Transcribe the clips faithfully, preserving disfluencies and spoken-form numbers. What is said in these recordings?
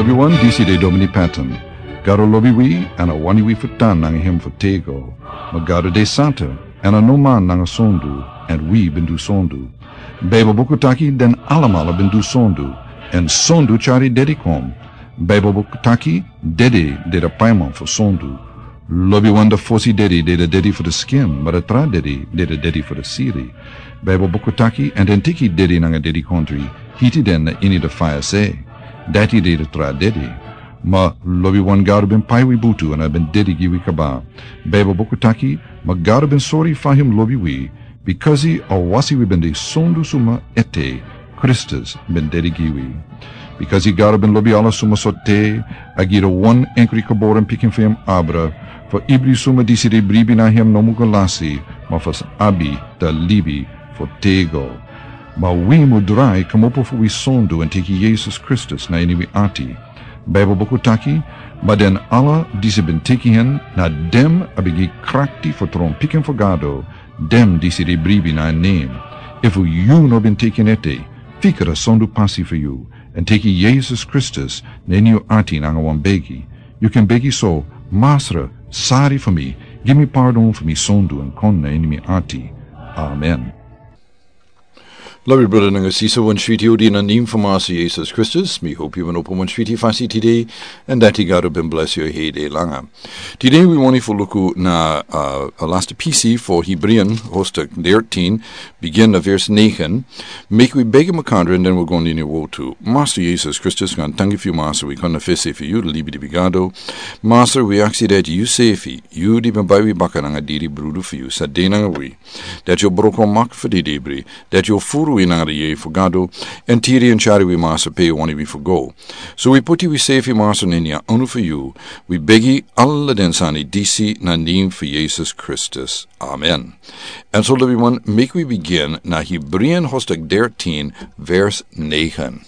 Wi wan disi de Domini Patton. Gado lobi wi, èn a wani wi fu tan nanga hem fu tego. Ma Gado de santa, èn a no man nanga sondu, èn wi ben du sondu. Baibel buku taki den alamala ben du sondu, èn sondu tyari dedi kon. Baibel buku taki dedi de de paiman fu sondu. Lobi wan de fosi dedi de de dedi fu de skin, ma de tra dedi de de dedi fu de siri. Baibel buku taki, èn den tiki dedi nanga dedi kontri, hiti den na ini de faya se. Dati de de tra dedi. Ma lobi wan Gado ben pai wi butu èn a ben dedi gi wi kaba. Baibel buku taki, ma Gado ben sori fa hem lobi wi, bikasi a wasi wi ben de sondu suma ete, Kristus ben dedi gi wi. Bikasi Gado ben lobi ala suma so te, a gi de wan enkri kaboren pikin fu hem abra, fu ibri suma disi de bribi na hem no mu go lasi, ma fu abi de libi fu tego. Ma wi mu drai kmopo fu wi sondu èn teki Yesus Kristus na ini wi ati. Baibel buku taki, ma den ala disi ben teki hen, na dem a ben gi krakti fu tron pikin fu Gado, dem disi de bribi na en nen. Efu yu no ben teki en ete, fika de sondu pasi fu yu, èn teki Yesus Kristus na ini yu ati nanga wan begi. Yu ken begi so, Masra, sari fu mi, gi mi pardon fu mi sondu èn kon na ini mi ati. Amen. Lobi brada nanga sisa, wan switi odi na nen fu Masra Yesus Kristus. Mi hopi yu ben opo wan switi fasi tide, èn dati Gado ben blesi yu hede langa. Tide wi wani fu luku na, uh, a lasta pisi fu Hebrian, hoofdstuk dertien, bigin na vers negen. Meki wi begi makandra èn den wi go na ini wotu. Masra Yesus Kristus, wi tangi fu yu Masra, wi kon na fesi fu yu, libi di bigado. Masra, wi aksi dati yu sefi, yu di ben bai wi baka nanga diri brudu fu yu, sa de nanga wi. Dati yu o broko mak fu di dibri, dati yu o furu wi nanga di yeye fu Gado, èn tiri èn tyari wi Masra pe yu wani wi fu go. So wi puti wi sefi Masra na ini a anu fu yu, wi begi ala den sani disi na nen fu Yesus Kristus. Amen. Èn so lobi wan, meki wi bigin na Hebrian hoofdstuk dertien, vers negen.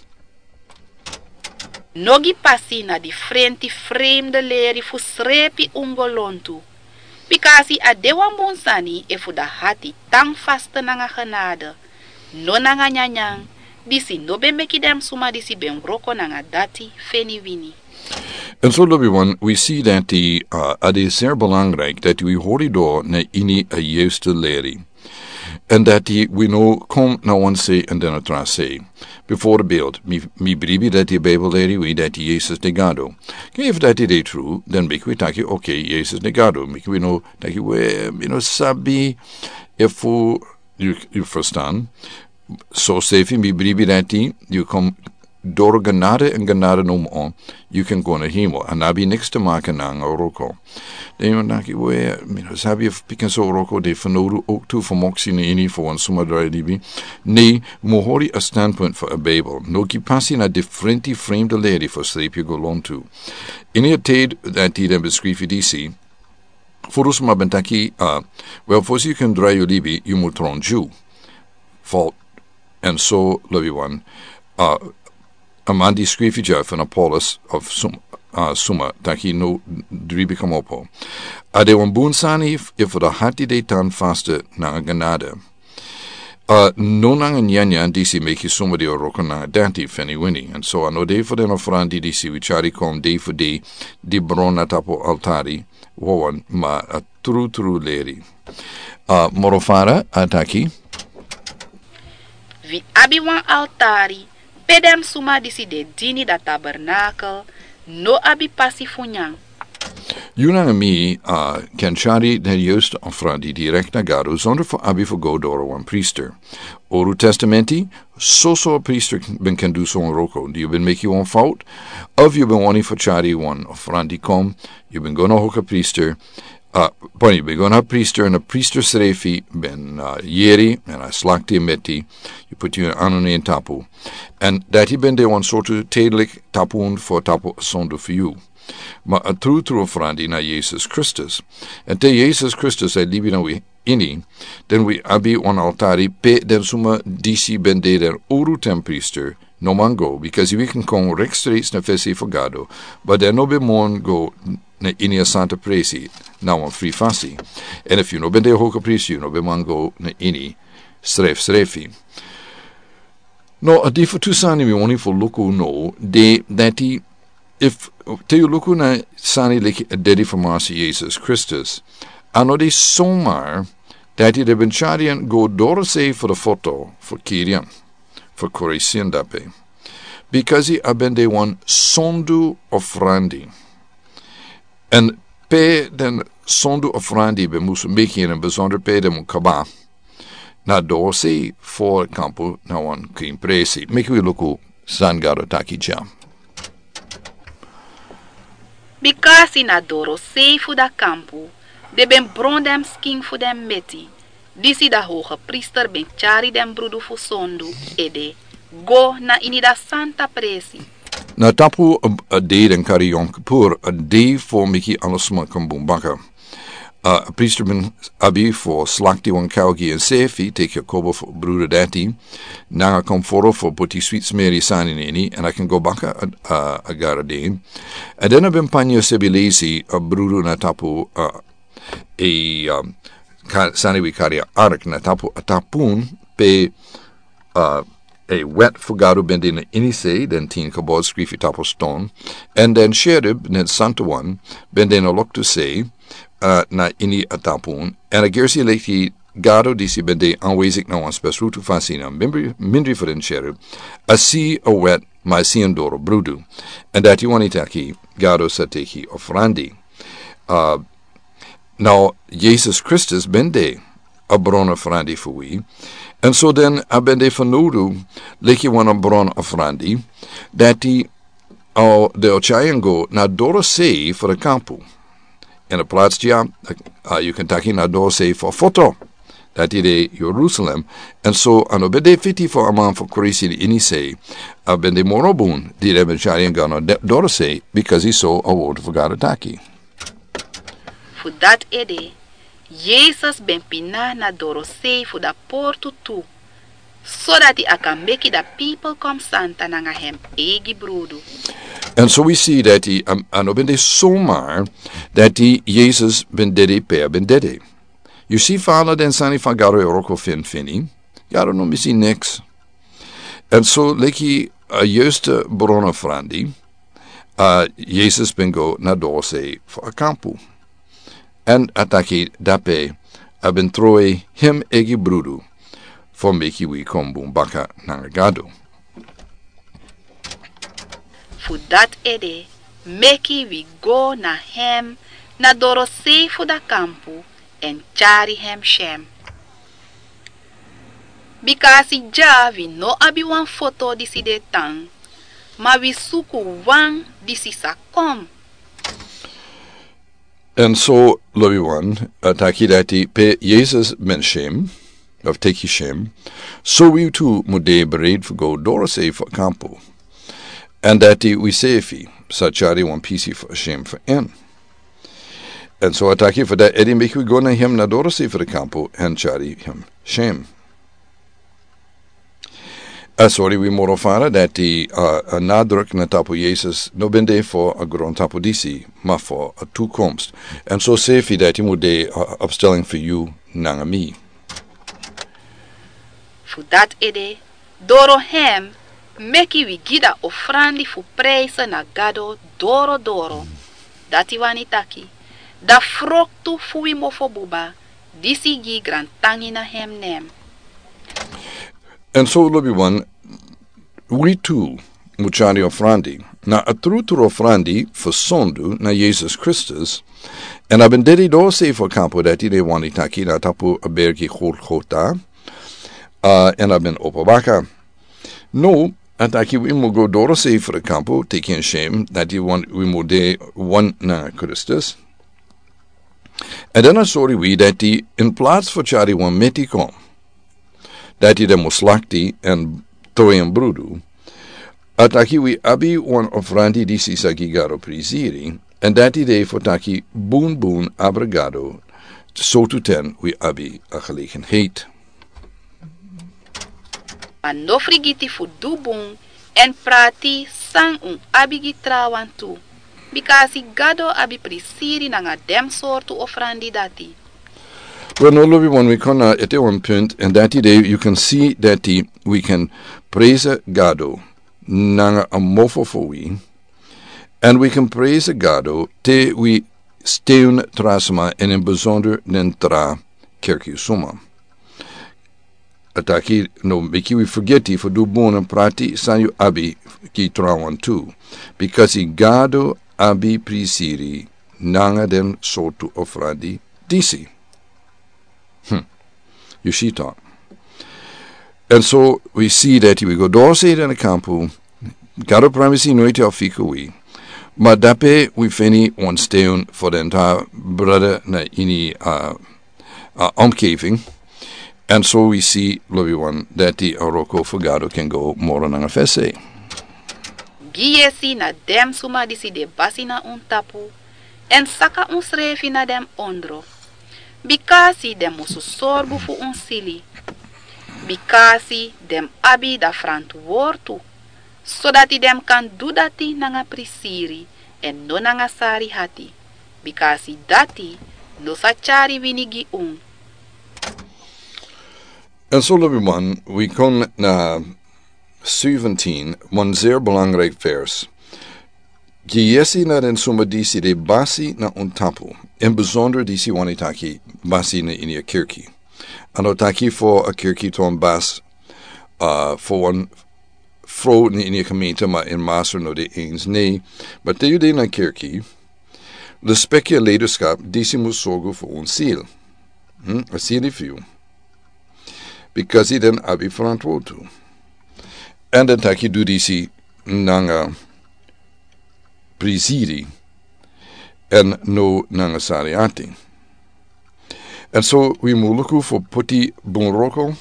No gi pasi na difrenti fremde leri fu srepi un go lontu. Bikasi a de wan bun sani efu da hati tan faste nanga genade, no nanga nyanyan, disi no ben meki den suma disi ben wroko nanga dati feni wini. Èn so lobi wan, wi si dati, uh, a de zeer belangrijk dati wi hori doro na ini a juiste leri. Èn dati wi no kon na wan se èn den a tra se. Bijvoorbeeld, mi, mi bribi dati Bijbel leri wi dati Yesus de Gado. Ke efu dati de tru, dan meki wi taki, oké, Yesus de Gado. Meki wi no taki we, mi no sabi efu, yu, yu ferstan. So sefi mi bribi dati, yu kon doro genade èn genade nomo, yu ken go na hemel. A no abi niks te maken nanga wroko. Dan yu taki we, mi no sabi efu pikin so wroko de fanowdu ook tu fu moksi na ini fu wan suma drai libi. Nee, wi mu hori a standpunt fu a Bijbel. No gi pasi na difrenti fremde leri fu srepi yu go lontu. Ini a tide dati den ben skrifi disi, furu suma ben taki, uh, wel, fosi yu ken drai yu libi, yu mu tron Jew. Fout. Èn so lobi wan, uh, a man di skrifi dya fu na Paulus of sum-, uh, suma, taki no dribi kmopo. A de wan bun sani efu da hati de tan faste nanga genade. Uh, no nanga nyanyan disi meki suma di o wroko nanga dati feni wini. Èn so a no de fu den ofrandi disi wi tyari kon de fu de di bron na tapu altari, wawan, ma a tru tru leri. Uh, moro fara a taki. Wi abi wan altari, pe den suma disi de dini da tabernakel, no abi pasi fu nyan. Yu nanga mi, uh, ken tyari den juiste ofrandi direkt na Gado, zonder fu abi fu go doro wan priester. Oru Testamenti, soso a priester ben ken du son wroko. Di yu ben meki wan fout, of yu ben wani fu tyari wan ofrandi kon, yu ben go na hoka priester, uh, pardon, yu ben go na priester, èn a priester srefi ben, uh, yeri, èn a slakti a meti, yu puti yu anu na en tapu. Èn dati ben de wan sortu tedelijk tapun fu tapu a sondu fu yu. Ma a tru tru ofrandi na Yesus Kristus. Èn te Yesus Kristus a libi na wi ini, dan wi abi wan altari pe den suma disi ben de den uru ten priester no man go, because wi ken kon rechtstreeks na fesi fu Gado, but den no ben man go na ini a santa presi na wan fri fasi. Èn efu yu no ben de hoka priester, yu no ben man go na ini srefsrefi. No, a difu tu sani mi wani fu luku no, de dati Efu te yu luku na sani leki a dedi fu Masi Yesus Kristus, a no de somar dati den ben tyari en go dorosei fu den foto fu kiri en, fu kori en dape. Bikasi a ben de wan sondu ofrandi. Èn pe den sondu ofrandi ben musu meki en, besonder pe den mu kaba, na dorosei fu kampu na wan krin presi. Meki wi luku san Gado taki dya. Bikasi na dorosei fu da kampu den ben bron den skin fu den meti, disi da hogepriester ben tyari den brudu fu sondu ede go na ini da santa presi. Na tapu a, a dei den kari Yom Kippur, a dei fu meki ala sma kon bun baka. A priester ben abi fu slakti wan kau gi ensefi, teki a kobo fu brudu dati, nanga kon foro fu puti swit smeri sani na ini, èn a kan go baka a, a, a gara dei. Èn den a ben panya sebi lesi a brudu na tapu, a, e, um, ka, sani wi kari a ark, na tapu a tapun pe, a, e wet fu Gado ben de na ini sei, den tin kabod skrifi tapu ston, èn den cherub, den santa wan, ben de na loktu sei, a, na ini a tapun, èn a gersi leki Gado disi ben de anwezig na wan spesrutu fasi na mindri, mindri fu den cherub, a si a wet, ma a si en doro brudu, èn dati wani taki Gado sa teki ofrandi. A, Now, Yesus Kristus ben de a bron ofrandi fu wi. Èn so den a ben de fanowdu leki wan a bron ofrandi, dati, a, den o tyari en go na dorosei fu den kampu. Èn a plats dya, a, yu kan taki na dorosei fu foto. Dati de Jerusalem. Èn so a no ben de fiti fu a man fu kori en ini sei. A ben de moro bun, di den ben tyari en go na de, dorosei, bikasi so a wortu fu Gado taki. Fu dati ede, Yesus ben pina na dorosei fu da portu tu, sodati a kan meki da pipel kon santa nanga hem eigi brudu. Èn so wi si dati, a, a no ben de somar dati Yesus ben dede pe a ben dede. Yu si fa ala den sani fu Gado e wroko finfini, Gado no misi niks. Èn so leki a, a juiste bron ofrandi, a, Yesus ben go na dorosei fu a kampu. Èn a taki dape a ben trowe hem eigi brudu fu meki wi kon bun baka nanga Gado. Fu dati ede, meki wi go na hem na dorosei fu da kampu èn tyari hem syen. Bikasi dya wi no abi wan foto disi de tan, ma wi suku wan disi sa kon. Èn so, lobiwan, a taki dati pe Yesus ben syen, of teki syen, so wi tu mu de bereid fu go dorosei fu a kampu. Èn dati wi sefi sa tyari wan pisi fu a syen fu en. Èn so a taki fu dati ede meki wi go na hem na dorosei fu a kampu èn tyari hem syen. A sori wi moro fara dati, a, a nadruk na tapu Yesus no ben de fu a grontapu disi, ma fu a toekomst. Èn so sefi dati mu de a, a opstelling fu yu nanga mi. Fu dati ede, doro hem, meki wi gi da ofrandi fu prijse na Gado doro doro. Dati wani taki, da froktu fu wi mofobuba, disi gi grantangi na hem nen. Èn so lobiwan, wi tu mu tyari ofrandi, na a trutru ofrandi fu sondu na Yesus Kristus, èn a ben dede dorosei fu a kampu dati den wani taki na tapu a bergi Golgota, a, èn a ben opo baka. No, a taki wi mu go dorosei fu a kampu, teki en syen, dati wan, wi mu de wan na Kristus. Èn dan a sori wi dati in plats fu tyari wan meti kon, dati den mu slakti èn trowe en brudu, a taki wi abi wan ofrandi disi sa gi Gado priziri, èn dati de fu taki bunbun abra Gado, sowtu ten wi abi a gelegenheid. Ma no frigiti fu du bun èn prati san un abi gi trawan tu, bikasi Gado abi prisiri nanga den sortu ofrandi dati. Wel, no lobiwan, wi kon na ete wan punt, èn dati de yu kan si dati wi kan prese Gado nanga a mofo fu wi, Èn wi kan presi Gado te wi steun tra sma, èn ini besonder den tra kerki suma. A taki no meki wi fergeti fu du bun èn prati san yu abi gi trawan tu. Bikasi Gado abi prisiri nanga den sortu ofrandi disi. Hmm. Yu si tok. Èn so wi si dati wi go doro sei den kampu. Gado pramisi noiti a fika wi. Ma dape wi feni wan steun fu den tra brada na ini a, a omgeving. Èn so wi si lobi wan dati a wroko fu Gado ken go moro nanga fesi. Gi yesi na den suma disi de basi na un tapu, èn saka unsrefi na den ondro. Bikasi den musu sorgu fu un sili. Bikasi den abi da frantwortu, sodati den kan du dati nanga prisiri èn no nanga sari hati. Bikasi dati no sa tyari wini gi un. Èn so lobi man, wi kon na zeventien, wan zeer belangrijk vers. Gi yesi na den suma disi de basi na un tapu, in besonder disi wani taki basi na ini a kerki. A no taki fu a kerki ton bas, uh, fu wan fro na ini a gemeente, ma in master no de eens, nee. Ma te yu de na kerki, respect yu leiderschap, disi mus sorgu fu un ziel. Hmm? A sili fu yu. Bikasi den abi frantwortu. Èn den taki du disi nanga prisiri èn no nanga sari ati. Èn so wi mu luku fu poti bun wroko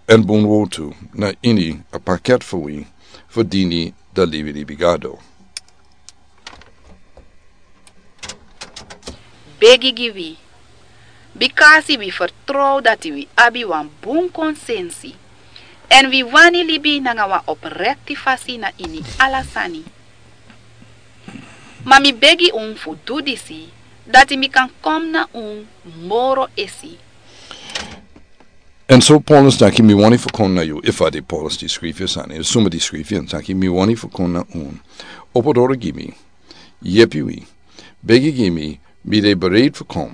èn bun wortu na ini a paket fu wi fu dini da libi di Gado. Begi gi wi. Bikasi wi fertrow dati wi abi wan bun konsensi. Èn wi wani libi nanga wan oprekti fasi na ini ala sani. Ma mi begi un fu du disi, dati mi kan kon na un moro esi. Èn so Paulus taki mi wani fu kon na yu, efu a de Paulus di skrifi a sani, suma di skrifi èn taki mi wani fu kon na un. Opo doro gi mi, yepi wi, begi gi mi, mi de bereid fu kon,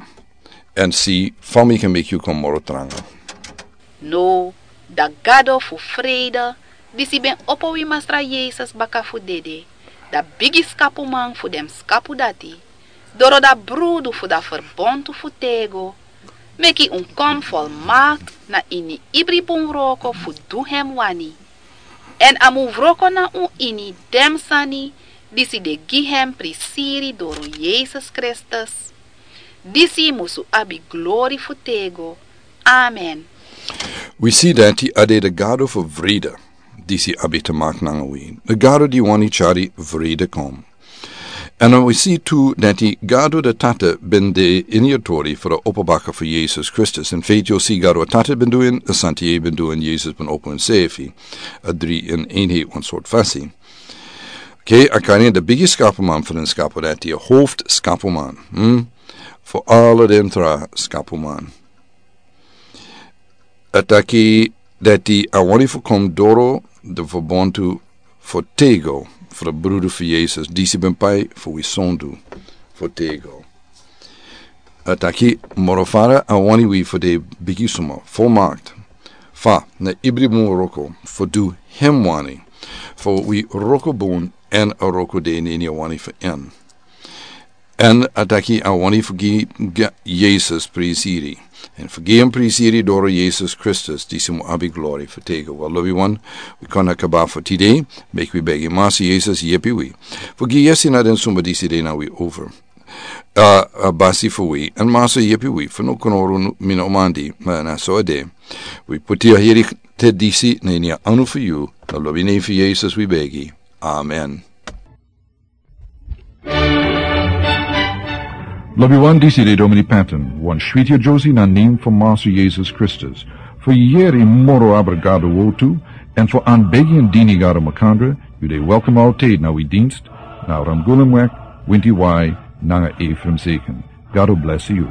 èn si fa mi kan meki yu kon moro tranga. No, da Gado fu frede, disi ben opo wi Masra Yesus baka fu dede, da bigi skapuman fu den skapu dati, doro da brudu fu da ferbontu fu tego, meki un kon folmakt na ini ibri bun wroko fu du hem wani. Èn a mu wroko na un ini den sani disi de gi hem prisiri doro Yesus Kristus. Disi musu abi glori fu tego. Amen. Wi si dati a de da Gado fu vrede disi abi te makt nanga wi. Da Gado di wani tyari vrede kon. Èn wi si tu dati Gado da Tata ben de ini a tori fu da opo baka fu Yesus Kristus. In feiti yu o si Gado a Tata ben du en, a Santi ben du en, Yesus ben opo ensefi. A dri in eenheid wan sort fasi. Oké, a kan in da bigi skapuman fu den skapu dati, a hoofd skapuman. Hmm? Fu ala den tra skapuman. A taki dati a wani fu kon doro da ferbontu fu tego, fu da brudu fu Yesus, disi ben pai fu wi sondu fu tego. A taki moro fara a wani wi fu de bigi suma, folmakt, fa, na ibri bun wroko, fu du hem wani, fu wi wroko bun èn a wroko de na ini a wani fu en. Èn a taki a wani fu gi, gi Yesus prisiri. Èn fu gi hem prisiri doro Yesus Kristus, disi mu abi glori fu tego. Wel, lobi wan, wi kon na kaba fu tide, meki wi begi Masra Yesus yepi wi. Fu gi yesi na den suma disi de na wi over. A, a basi fu wi, èn Masra yepi wi, fu no kon oru mi no mandi, ma na so a de. Wi poti a heri te disi na ini a anu fu yu, na lobi nen fu Yesus wi begi. Amen. Lobi wan, disi de Domini Patton, wan switi a Josie na nen fu Masra Yesus Kristus. Fu yeri moro abra Gado wortu, èn fu an begi èn dini Gado makandra, yu de welkom altijd na wi dienst, na Ramgulumweg, Winti Wai, nanga Ephraim Zeken. Gado bless yu.